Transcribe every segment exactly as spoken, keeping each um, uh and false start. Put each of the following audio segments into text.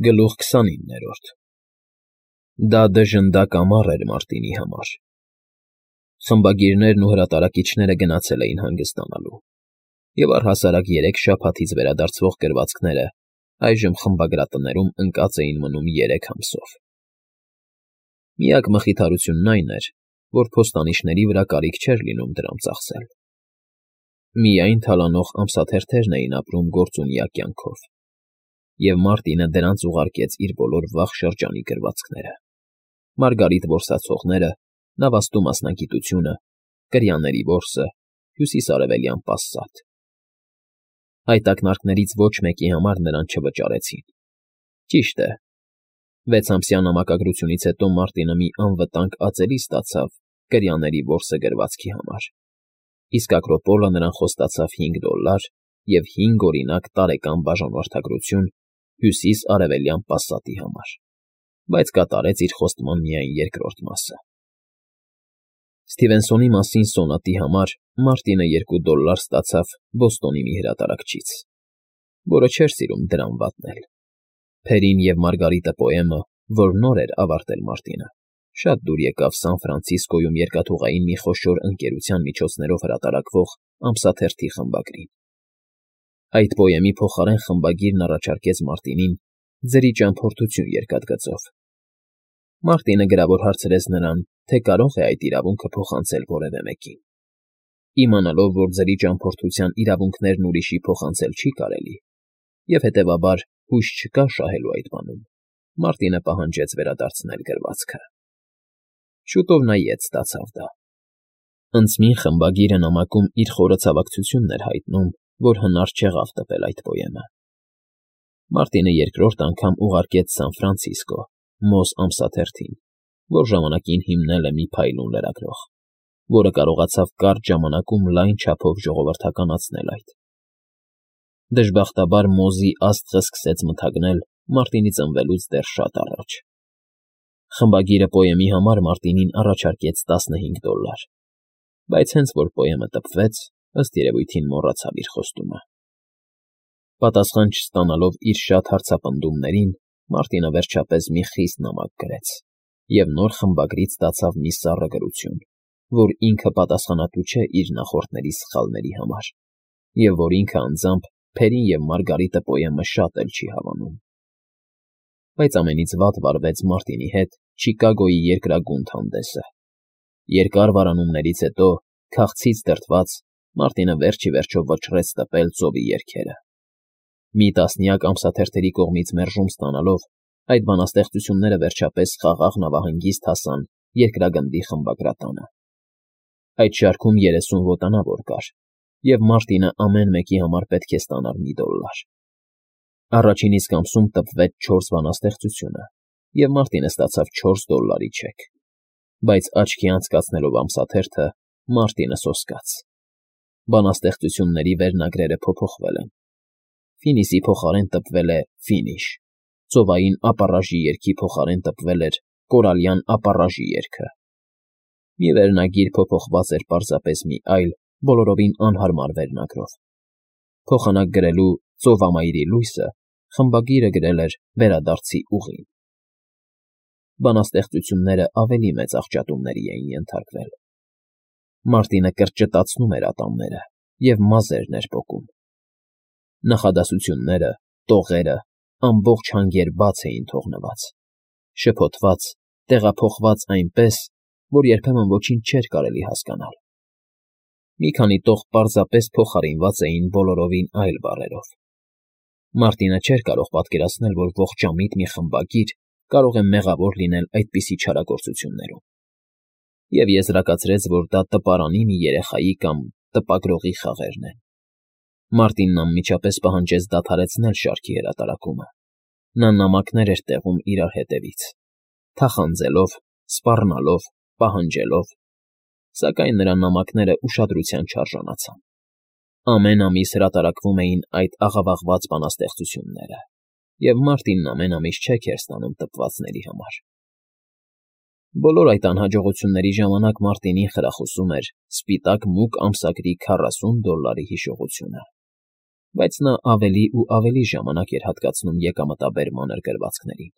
Գլուխ քսանիններորդ Դա դժնդակ ամառ էր Մարտինի համար։ Խմբագիրներն ու հրատարակիչները գնացել էին հանգստանալու, և առհասարակ երեք շաբաթից վերադարձվող գրվածքները այժմ խմբագրատներում ընկած էին մնում երեք ամսով։ Միակ մխիթարությունն այն էր, որ փոստանիշների վրա կարիք չէր լինում դրանց ծախսել։ Միայն թալանող ամսաթերթերն էին ապրում գործունյա կյանքով, և Մարտինը դրանց ուղարկեց իր բոլոր վաղ շրջանի գրվածքները. Մարգարիտ որսացողները, Նավաստու մասնագիտությունը, Կրիաների որսը, Հյուսիսարևելյան պասսատ։ Այդ ակնարկներից ոչ մեկի համար նրան չվճարեցին։ Ճիշտ է, վեցամսյա նամակագրությունից հետո Մարտինը մի անվտանգ ածելի ստացավ Կրիաների որսը գրվածքի համար, իսկ Ակրոպոլը նրան խոստացավ հինգ դոլլար և հինգ օրինակ տարեկան բաժանորդագրություն Հյուսիս֊արևելյան պասսատի համար, բայց կատարեց իր խոստման միայն երկրորդ մասը։ Սթիվենսոնի մասին սոնատի համար Մարտինը երկու դոլլար ստացավ Բոստոնի մի հրատարակչից, որը չէր սիրում դրամ վատնել։ Փերին և Մարգարիտը պոեմը, որ նոր էր ավարտել Մարտինը, շատ դուր եկավ Սան Ֆրանցիսկոյում երկաթուղային մի խոշոր ընկերության միջոցներով հրատարակվող ամսաթերթի խմբագրին։ Այդ պոեմի փոխարեն խմբագիրն առաջարկեց Մարտինին ձրի ճամփորդություն երկաթգծով։ Մարտինը գրավոր հարցրեց նրան, թե կարող է այդ իրավունքը փոխանցել որևէ մեկին։ Իմանալով, որ ձրի ճամփորդության իրավունքներն ուրիշի փոխանցել չի կարելի, և հետևաբար հույս չկա շահելու այդ բանում, Մարտինը պահանջեց վերադարձնել գրվածքը։ Շուտով նա ետ ստացավ դա։ Ընդսմին խմբագիրը նամակում իր խորը ցավակցությունն էր հայտնում, որ հնար չեղավ տպել այդ պոեմը։ Մարտինը երկրորդ անգամ ուղարկեց Սան Ֆրանցիսկո, Մոզ ամսաթերթին, որ ժամանակին հիմնել է մի փայլուն լրագրող, որը կարողացավ կարճ ժամանակում լայն չափով ժողովրդականացնել այդ։ Դժբախտաբար Մոզի աստղը սկսեց մթագնել Մարտինի ծնվելուց դեռ շատ առաջ։ Խմբագիրը պոեմի համար Մարտինին առաջարկեց տասնհինգ դոլլար, բայց հենց որ պոեմը տպվեց, ըստ երևույթին մոռացավ իր խոստումը։ Պատասխան չստանալով իր շատ հարցապնդումներին, Մարտինը վերջապես մի խիստ նամակ գրեց և նոր խմբագրից ստացավ մի սառը գրություն, որ ինքը պատասխանատու չէ իր նախորդների սխալների համար, և որ ինքը անձամբ Փերին և Մարգարիտը պոեմը շատ էլ չի հավանում։ Բայց ամենից վատ վարվեց Մարտինի հետ Չիկագոյի երկրագունդ հանդեսը։ Երկար վարանումներից հետո, քաղցից դրդված, Մարտինը վերջ ի վերջո վճռեց տպել ծովի երգերը։ Մի տասնյակ ամսաթերթերի կողմից մերժում ստանալով, այդ բանաստեղծությունները վերջապես խաղաղ նավահանգիստ հասան երկրագնդի խմբագրատանը։ Այդ շարքում երեսուն ոտանավոր կար, և Մարտինը ամեն մեկի համար պետք է ստանար մի դոլլար։ Առաջին իսկ ամսում տպվեց չորս բանաստեղծությունը, և Մարտինը ստացավ չորս դոլլարի չեք։ Բայց աչքի անցկացնելով ամսաթերթը, Մարտինը սոսկաց։ Բանաստեղծությունների վերնագրերը փոփոխվել են։ Ֆինիսի փոխարեն տպվել է Ֆինիշ, ծովային ապառաժի երգի փոխարեն տպվել էր Կորալյան ապառաժի երգը։ Մի վերնագիր փոփոխված էր պարզապես մի այլ, բոլորովին անհարմար վերնագրով։ Փոխանակ գրելու Ծովամայրի լույսը խմբագիրը գրել էր Վերադարձի ուղին։ Բանաստեղծությունները ավելի մեծ աղճատումների էին ենթարկվել։ Մարտինը կրճտացնում էր ատամները և մազերն էր պոկում։ Նախադասությունները, տողերը ամբողջ հանգեր բաց էին թողնված, շփոթված, տեղափոխված այնպես, որ երբեմն ոչինչ չէր կարելի հասկանալ։ Մի քանի տող պարզապես փոխարինված էին բոլորովին այլ բառերով։ Մարտինը չէր կարող պատկերացնել, որ ողջամիտ մի խմբագիր կարող է մեղավոր լինել այդպիսի չարագործություններում, և եզրակացրեց, որ դա տպարանի մի երեխայի կամ տպագրողի խաղերն են։ Մարտինն անմիջապես պահանջեց դադարեցնել շարքի հրատարակումը։ Նա նամակներ էր տեղում իրար հետևից, թախանձելով, սպառնալով, պահանջելով, սակայն նրա նամակները ուշադրության չարժանացան։ Ամեն ամիս հրատարակվում էին այդ աղավաղված բանաստեղծությունները, և Մարտինն ամեն ամիս չեք էր ստանում տպվածների համար։ Բոլոր այդ անհաջողությունների ժամանակ Մարտինին խրախուսում էր սպիտակ մուգ ամսագրի քառասուն դոլլարի հիշողությունը։ բայց նա ավելի ու ավելի ժամանակ էր հատկացնում եկամտաբեր մանր գրվածքներին։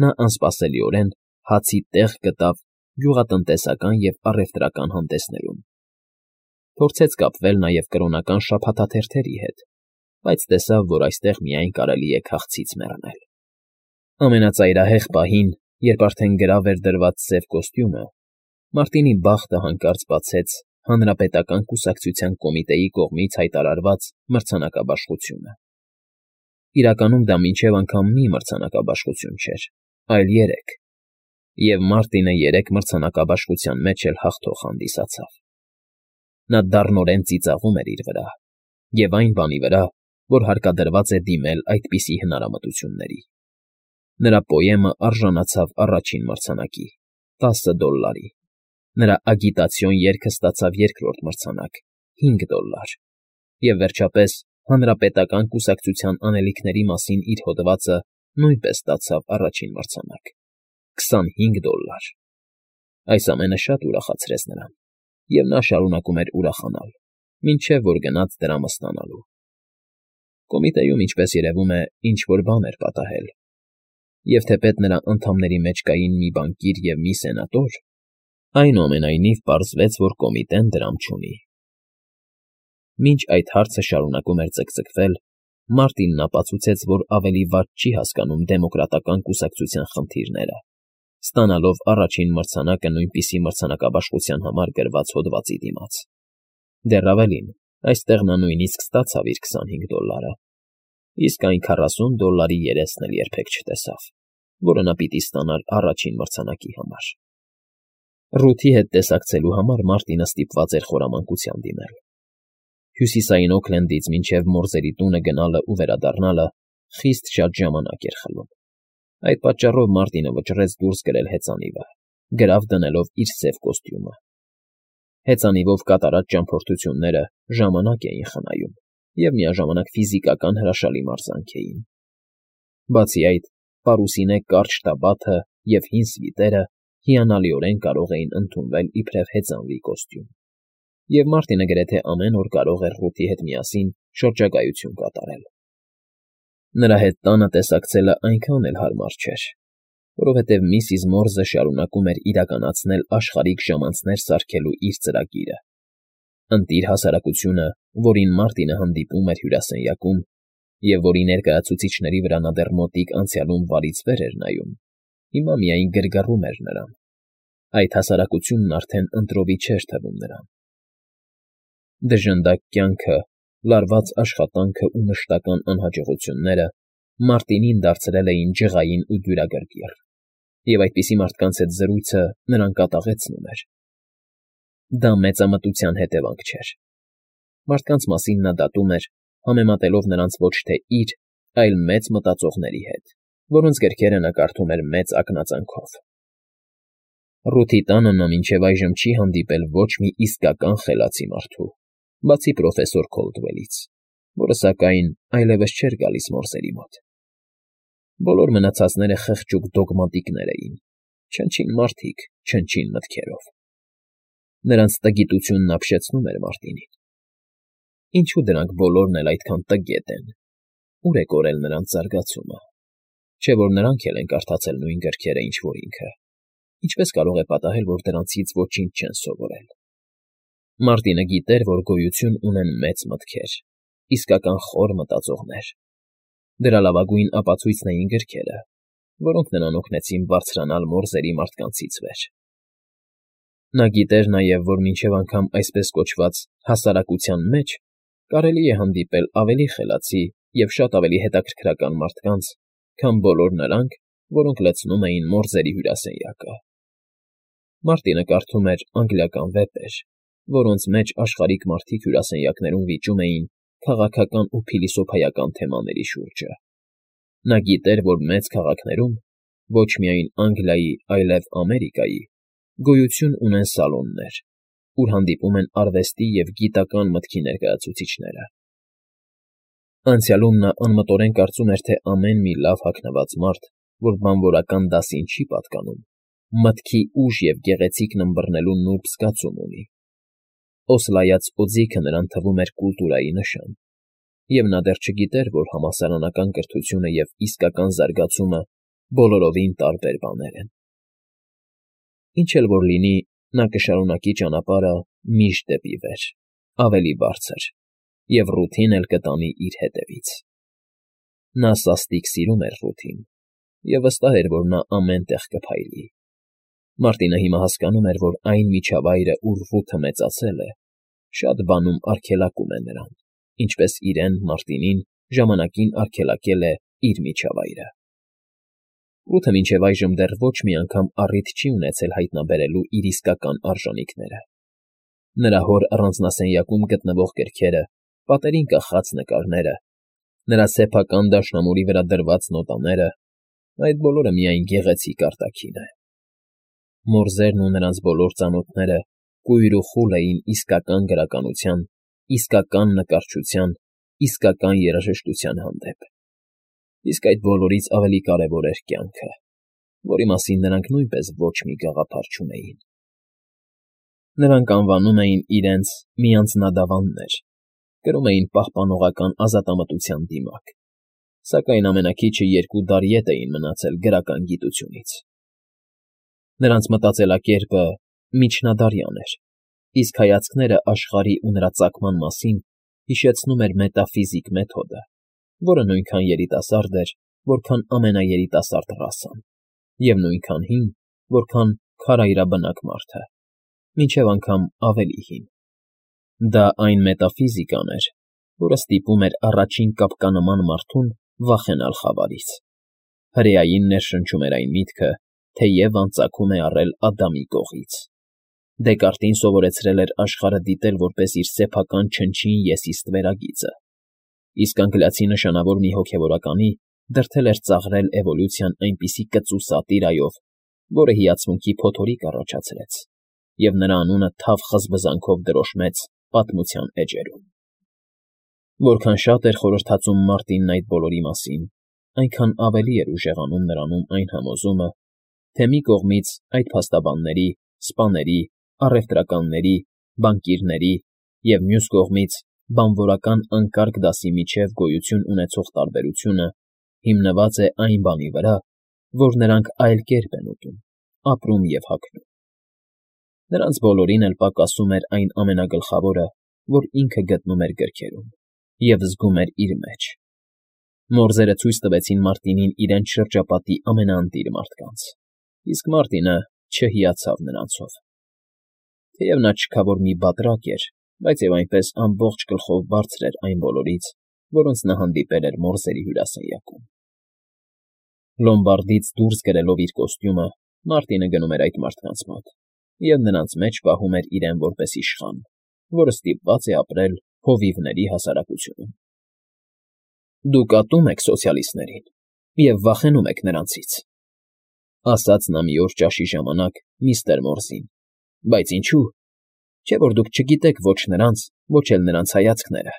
Նա անսպասելիորեն հացի տեղ գտավ գյուղատնտեսական և առևտրական հանդեսներում։ Փորձեց կապվել նաև կրոնական շաբաթաթերթերի հետ, բայց տեսավ, որ այստեղ միայն կարելի է քաղցից մեռնել։ Ամենածայրահեղ պահին, երբ արդեն գրավ էր դրված սև կոստյումը, Մարտինի բախտը հանկարծ բացեց Հանրապետական կուսակցության կոմիտեի կողմից հայտարարված մրցանակաբաշխությունը։ Իրականում դա մինչև անգամ մի մրցանակաբաշխություն չէր, այլ երեք, և Մարտինը երեք մրցանակաբաշխության մեջ էլ հաղթող հանդիսացավ։ Նա դառնորեն ծիծաղում էր իր վրա, և այն բանի վրա, որ հարկադրված է դիմել այդպիսի հնարամտությունների։ Նրա պոեմը արժանացավ առաջին մրցանակի՝ տասը դոլլարի, նրա ագիտացիոն երգը ստացավ երկրորդ մրցանակ՝ հինգ դոլլար, և վերջապես Հանրապետական կուսակցության անելիքների մասին իր հոդվածը նույնպես ստացավ առաջին մրցանակ՝ քսանհինգ դոլլար։ Այս ամենը շատ ուրախացրեց նրան, և նա շարունակում էր ուրախանալ, մինչև որ գնաց դրամը ստանալու։ Կոմիտեում, ինչպես երևում է, ինչ֊որ բան էր պատահել, և թեպետ նրա անդամների մեջ կային մի բանկիր և մի սենատոր, այնուամենայնիվ պարզվեց, որ կոմիտեն դրամ չունի։ Մինչ այդ հարցը շարունակում էր ձգձգվել, Մարտինն ապացուցեց, որ ավելի վատ չի հասկանում դեմոկրատական կուսակցության խնդիրները, ստանալով առաջին մրցանակը նույնպիսի մրցանակաբաշխության համար գրված հոդվածի դիմաց։ Դեռ ավելին, այստեղ նա նույնիսկ ստացավ իր քսանհինգ դոլլարը, իսկ այն քառասուն դոլլարի երեսն էլ երբեք չտեսավ, որը նա պիտի ստանար առաջին մրցանակի համար։ Ռութի հետ տեսակցելու համար Մարտինը ստիպված էր խորամանկության դիմել։ Հյուսիսային Օքլենդից մինչև Մորզերի տունը գնալը ու վերադառնալը խիստ շատ ժամանակ էր խլում։ Այդ պատճառով Մարտինը վճռեց դուրս գրել հեծանիվը, գրավ դնելով իր սև կոստյումը։ Հեծանիվով կատարած ճամփորդությունները ժամանակ էին խնայում և միաժամանակ ֆիզիկական հրաշալի մարզանք էին։ Բացի այդ, պարուսինե կարճ տաբաթը և հին սվիտերը հիանալիորեն կարող էին ընդունվել իբրև հեծանվի կոստյում, և Մարտինը գրեթե ամեն օր կարող էր Ռութի հետ միասին շրջագայություն կատարել։ Նրա հետ տանը տեսակցելը այնքան էլ հարմար չէր, որովհետև միսիս Մորզը շարունակում էր իրականացնել աշխարհիկ ժամանցներ սարքելու իր ծրագիրը։ Ընտիր հասարակությունը, որին Մարտինը հանդիպում էր հյուրասենյակում, և որի ներկայացուցիչների վրա նա դեռ մոտիկ անցյալում վարից վեր էր նայում, հիմա միայն գրգռում էր նրան։ Այդ հասարակությունն արդեն ընտրովի չէր թվում նրան։ Դժնդակ կյանքը, լարված աշխատանքը ու մշտական անհաջողությունները Մարտինին դարձրել էին ջղային ու դյուրագրգիռ, և այդպիսի մարդկանց հետ զրույցը նրան կատաղեցնում էր։ Դա մեծամտության հետևանք չէր։ Մարդկանց մասին նա դատում էր, համեմատելով նրանց ոչ թե իր, այլ մեծ մտածողների հետ, որոնց գրքերը նա կարդում էր մեծ ակնածանքով։ Ռութի տանը նա մինչև այժմ չի հանդիպել ոչ մի իսկական խելացի մարդու, բացի պրոֆեսոր Քոլդվելից, որը, սակայն, այլևս չէր գալիս Մորզերի մոտ։ Բոլոր մնացածները խղճուկ դոգմատիկներ էին, չնչին մարդիկ, չնչին մտքերով։ Նրանց տգիտությունն ապշեցնում էր Մարտինին։ Ինչու դրանք բոլորն էլ այդքան տգետ են, ուր է կորել նրանց զարգացումը, չէ՞ որ նրանք էլ են կարդացել նույն գրքերը, ինչ որ ինքը, ինչպես կարող է պատահել, որ դրանցից ոչինչ չեն սովորել։ Մարտինը գիտեր, որ գոյություն ունեն մեծ մտքեր, իսկական խոր մտածողներ։ Դրա լավագույն ապացույցն էին գրքերը, որոնք նրան օգնեցին բարձրանալ Մորզերի մարդկանցից վեր։ Նա գիտեր նաև, որ մինչև անգամ այսպես կոչված «հասարակության» մեջ կարելի է հանդիպել ավելի խելացի և շատ ավելի հետաքրքրական մարդկանց, քան բոլոր նրանք, որոնք լցնում էին Մորզերի հյուրասենյակը։ Մարտինը կարդում էր անգլիական վեպեր, որոնց մեջ աշխարհիկ մարդիկ հյուրասենյակներում վիճում էին քաղաքական ու փիլիսոփայական թեմաների շուրջը։ Նա գիտեր, որ մեծ քաղաքներում, ոչ միայն Անգլիայի, այլև Ամերիկայի, գոյություն ունեն սալոններ, ուր հանդիպում են արվեստի և գիտական մտքի ներկայացուցիչները։ Անցյալում նա անմտորեն կարծում էր, թե ամեն մի լավ հագնված մարդ, որ բանվորական դասին չի պատկանում, մտքի ուժ և գեղեցիկն ըմբռնելու նուրբ զգացում ունի։ Օսլայած օձիքը նրան թվում էր կուլտուրայի նշան, և նա դեռ չգիտեր, որ համալսարանական կրթությունը և իսկական զարգացումը բոլորովին տարբեր բաներ են։ Ինչ էլ որ լինի, նա կշարունակի ճանապարհը միշտ դեպի վեր, ավելի բարձր, և ռութին էլ կտանի իր հետևից։ Նա սաստիկ սիրում էր ռութին և վստահ էր, որ նա ամեն տեղ կփայլի։ Մարտինը հիմա հասկանում էր, որ այն միջավայրը, ուր ռութը մեծացել է, շատ բանում արգելակում է նրան, ինչպես իրեն՝ Մարտինին, ժամանակին արգելակել է իր միջավայրը։ Ռութը մինչև այժմ դեռ ոչ մի անգամ առիթ չի ունեցել հայտնաբերելու իր իսկական արժանիքները։ Նրա հոր առանձնասենյակում գտնվող գրքերը, պատերին կախած նկարները, նրա սեփական դաշնամուրի վրա դրված նոտաները, այդ բոլորը միայն գեղեցիկ արտաքին է։ Մորզերն ու նրանց բոլոր ծանոթները կույր ու խուլ էին իսկական գրականության, իսկական նկարչության, իսկական երաժշտության հանդեպ։ Իսկ այդ բոլորից ավելի կարևոր էր կյանքը, որի մասին նրանք նույնպես ոչ մի գաղափար չունեին։ Նրանք անվանում էին իրենց միանձնադավաններ, կրում էին պահպանողական ազատամտության դիմակ, սակայն ամենաքիչը երկու դար ետ էին մնացել գրական գիտությունից։ Նրանց մտածելակերպը միջնադարյան էր, իսկ հայացքները աշխարհի ու նրա ծագման մասին հիշեցնում էր մետաֆիզիկ մեթոդը, որը նույնքան երիտասարդ էր, որքան ամենաերիտասարդ ռասան, և նույնքան հին, որքան քարայրաբնակ մարդը, մինչև անգամ ավելի հին։ Դա այն մետաֆիզիկան էր, որը ստիպում էր առաջին կապկանման մարդուն վախենալ խավարից։ Հրեային ներշնչում էր այն միտքը, թե Եվան ծագում է առել Ադամի կողից։ Դեկարտին սովորեցրել էր աշխարհը դիտել որպես իր սեփական չնչին ես իսկ վերագիծը, իսկ անգլիացի նշանավոր մի հոգևորականի դրդել էր ծաղրել էվոլյուցիան այնպիսի կծու սատիրայով, որը հիացմունքի փոթորիկ առաջացրեց, և նրա անունը թավ խզբզանքով դրոշմեց պատմության էջերում։ Որքան շատ էր խորհրդածում Մարտինն այդ բոլորի մասին, այնքան ավելի էր ուժեղանում նրանում այն համոզումը, թե մի կողմից այդ փաստաբանների, սպաների, առևտրականների, բանկիրների և մյուս կողմից բանվորական անկարգ դասի միջև գոյություն ունեցող տարբերությունը հիմնված է այն բանի վրա, որ նրանք այլ կերպ են ուտում, ապրում և հագնում։ Նրանց բոլորին էլ պակասում էր այն ամենագլխավորը, որ ինքը գտնում էր գրքերում և զգում էր իր մեջ։ Մորզերը ցույց տվեցին Մարտինին իրենց շրջապատի ամենաընտիր մարդկանց, իսկ Մարտինը չհիացավ նրանցով։ Թեև նա չքավոր մի բատրակ էր, բայց և այնպես ամբողջ գլխով բարձր էր այն բոլորից, որոնց նա հանդիպել էր մորզերի հյուրասենյակում։ Լոմբարդից դուրս գրելով իր կոստյումը՝ Մարտինը գնում էր այդ մարդկանց մոտ և նրանց մեջ պահում էր իրեն որպես իշխան, որը ստիպված է ապրել հովիվների հասարակությունում։ Դուք ատում եք սոցիալիստներին և վախենում եք նրանցից,֊ ասաց նա մի օր ճաշի ժամանակ միստր Մորզին,֊ բայց ինչո՞ւ, չէ՞ որ դուք չգիտեք ոչ նրանց, ոչ էլ նրանց հայացքները։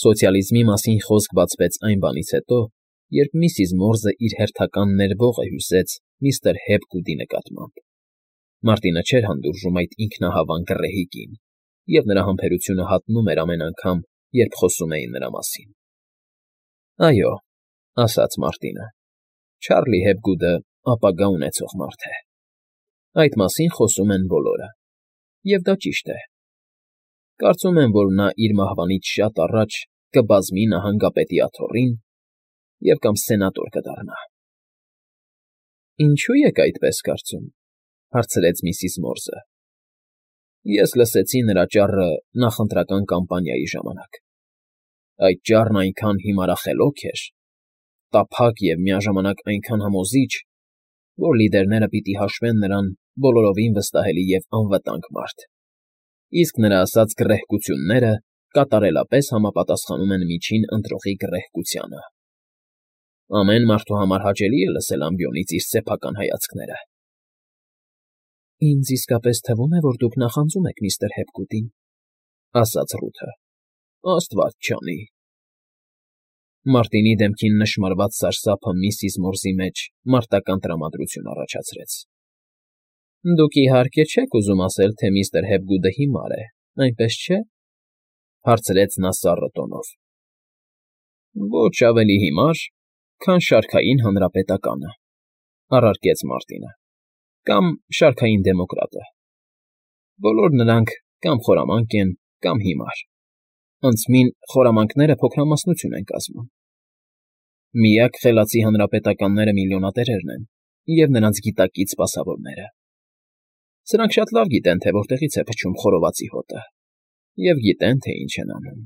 Սոցիալիզմի մասին խոսք բացվեց այն բանից հետո, երբ միսիս Մորզը իր հերթական ներվողը հյուսեց միստր Հեփգուդի նկատմամբ։ Մարտինը չէր հանդուրժում այդ ինքնահավան գռեհիկին, և նրա համբերությունը հատնում էր ամեն անգամ, երբ խոսում էին նրա մասին։ Այո, ասաց Մարտինը, Չարլի Հեփգուդը ապագա ունեցող մարդ է։ Այդ մասին խոսում են բոլորը, և դա ճիշտ է։ Կարծում եմ, որ նա իր մահվանից շատ առաջ կբազմի նահանգապետի աթոռին և կամ սենատոր կդառնա։ Ինչո՞ւ եք այդպես կարծում,֊ հարցրեց միսիս Մորզը։ Ես լսեցի նրա ճառը նախընտրական կամպանիայի ժամանակ։ Այդ ճառն այնքան հիմարախելոք էր, տափակ և միաժամանակ այնքան համոզիչ, որ լիդերները պիտի հաշվեն նրան բոլորովին վստահելի և անվտանգ մարդ, իսկ նրա ասած գռեհկությունները կատարելապես համապատասխանում են միջին ընտրողի գռեհկությանը։ Ամեն մարդու համար հաճելի է լսել ամբիոնից իր սեփական հայացքները։ Ինձ իսկապես թվում է, որ դուք նախանձում եք միստր Հեփգուդին,֊ ասաց Ռութը։ Աստված չանի։ Մարտինի դեմքին նշմարված սարսափը միսիս Մորզի մեջ մարտական տրամադրություն առաջացրեց։ Դուք իհարկե չեք ուզում ասել, թե միստր Հեփգուդը հիմար է, այնպես չէ։ Հարցրեց նա սառը տոնով։ Ոչ ավելի հիմար, քան շարքային հանրապետականը, առարկեց Մարտինը, կամ շարքային դեմոկրատը։ Բոլոր նրանք կամ խորամանկ են, կամ հիմար, անցմին խորամանկները փոքրամասնություն են կազմում։ Միակ խելացի հանրապետականները միլիոնատերերն են և նրանց գիտակից սպասավորները։ Սրանք շատ լավ գիտեն, թե որտեղից է փչում խորովածի հոտը, և գիտեն, թե ինչ են անում։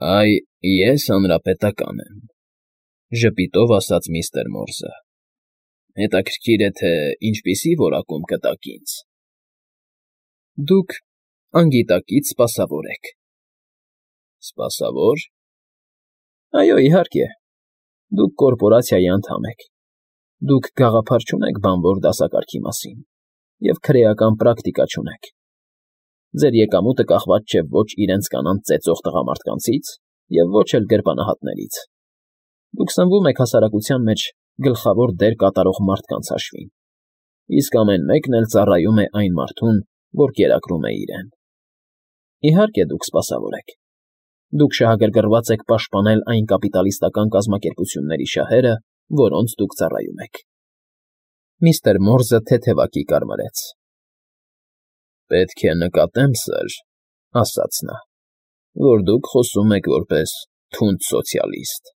Այ ես հանրապետական եմ, ժպիտով ասաց միստր Մորզը։ Հետաքրքիր է, թե ինչպիսի որակում կտաք ինձ։ Դուք անգիտակից սպասավոր եք։ Սպասավո՞ր։ Այո, իհարկե, դուք կորպորացիայի անդամ եք, դուք գաղափար չունեք բանվոր դասակարգի մասին և քրեական պրակտիկա չունեք։ Ձեր եկամուտը կախված չէ ոչ իրենց կանանց ծեծող տղամարդկանցից և ոչ էլ գրպանահատներից։ Դուք սնվում եք հասարակության մեջ գլխավոր դեր կատարող մարդկանց հաշվին, իսկ ամեն մեկն էլ ծառայում է այն մարդուն, որ կերակրում է իրեն։ Իհարկե, դուք սպասավոր եք։ Դուք շահագրգռված եք պաշտպանել այն կապիտալիստական կազմակերպությունների շահերը, որոնց դուք ծառայում եք։ Միստր Մորզը թեթևակի կարմրեց։ Պետք է նկատեմ, սըր, ասաց նա, որ դուք խոսում եք որպես թունդ սոցիալիստ։